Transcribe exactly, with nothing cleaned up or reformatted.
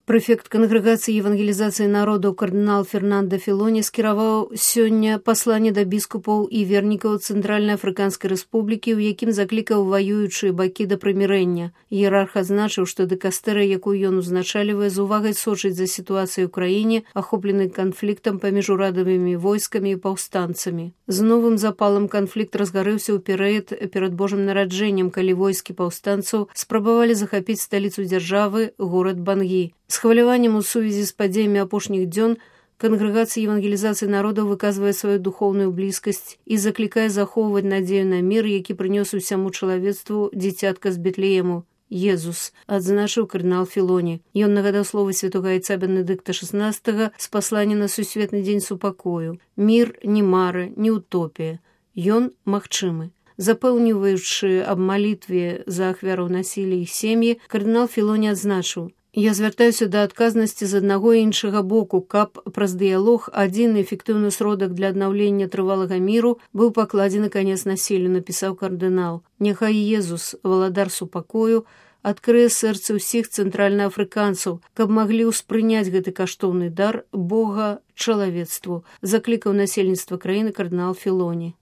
Прэфект кангрэгацыі евангелізацыі народаў кардынал Фернандо Філоні скіраваў сёння пасланне да біскупаў і вернікаў Цэнтральна-Афрыканскай рэспублікі, у якім заклікаў ваюючыя бакі да прымірэння. Іерарх адзначыў, што дыкастэрыя, якую ён узначальвае, з увагай сочыць за сітуацыяй у краіне, ахопленай канфліктам паміж урадавымі войскамі і паўстанцамі. З новым запалам канфлікт разгарэўся ў перыяд перад Божым нараджэннем, калі войскі паўстанцаў спрабавалі захапіць сталіцу дзяржавы, горад Бангі. З хваляваннем у сувязі з падзеямі апошніх дзён кангрэгацыя евангелізацыі народаў выказвае сваю духоўную блізкасць і заклікае захоўваць надзею на мір, які прынёс усяму чалавецтву дзіцятка з Бетлеему. Езус, адзначыў кардынал Філоні. Ён нагадаў словы святога айца Бенедыкта шаснаццатага з паслання на сусветны дзень супакою. Мір не мара, не утопія. Ён магчымы. Запэўніваючы аб малітве за ахвяраў насілля іх сем'і, кардынал Філоні адзначыў: «Я звяртаюся да адказнасці з аднаго і іншага боку, каб праз дыялог адзін эфектыўны сродак для аднаўлення трывалага міру быў пакладзены канец насіллю», напісаў кардынал. Няхай Езус, валадар супакою, адкрые сэрцы ўсіх цэнтральнаафрыканцаў, каб маглі ўспрыняць гэты каштоўны дар Бога чалавецтву, заклікаў насельніцтва краіны кардынал Філоні.